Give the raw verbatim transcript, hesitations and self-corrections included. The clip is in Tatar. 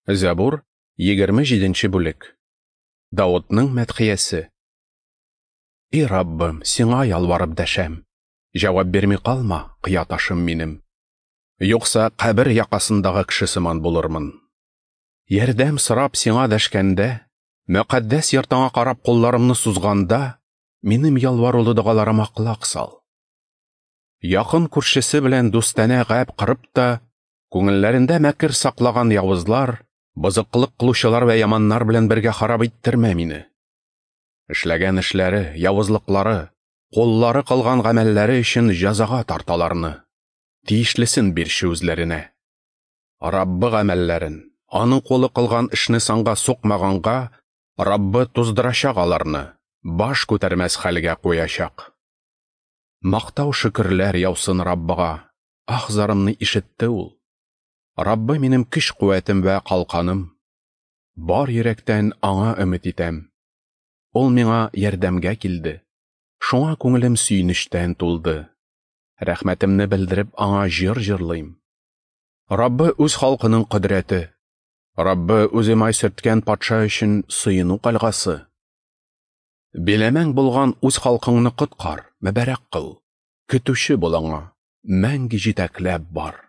Зәбур, егерме җиденче бүлек. Давытның мәдхиясе. И Раббым, сиңа ялварып дәшәм. Җавап бирми калма, кыя ташым минем. Юкса кабер якасындагы кеше сыман булырмын. Ярдәм сорап сиңа дәшкәндә, мөкаддәс йортыңа карап кулларымны сузганда, минем ялварулы догаларыма колак сал. Якын күршесе белән дустанә гәп кырып та, күңелләрендә мәкер саклаган явызлар, бозыклык кылучылар вә яманнар белән бергә харап иттермә мине. Эшләгән эшләре, явызлыклары, куллары кылган гамәлләре өчен җәзага тарталарны. Тиешлесен бирче үзләренә. Раббы гамәлләрен, аның кулы кылган эшне санга сукмаганга, Раббы туздырачак аларны, баш күтәрмәс хәлгә куячак. Мактау шөкерләр яусын Раббыга, ах зарымны ишетте ул. Раббы минем көч куәтем вә калканым. Бар йөрәктән аңа өмет итәм. Ул миңа ярдәмгә килде. Шуңа күңелем сөенечтән тулды. Рәхмәтемне белдереп аңа җыр җырлыйм. Раббы үз халкының кодрәте. Раббы үзе май сөрткән патша өчен сыену калгасы. Биләмәң булган үз халкыңны коткар, мөбарәк кыл. Көтүче бул аңа, мәңге җитәкләп бар.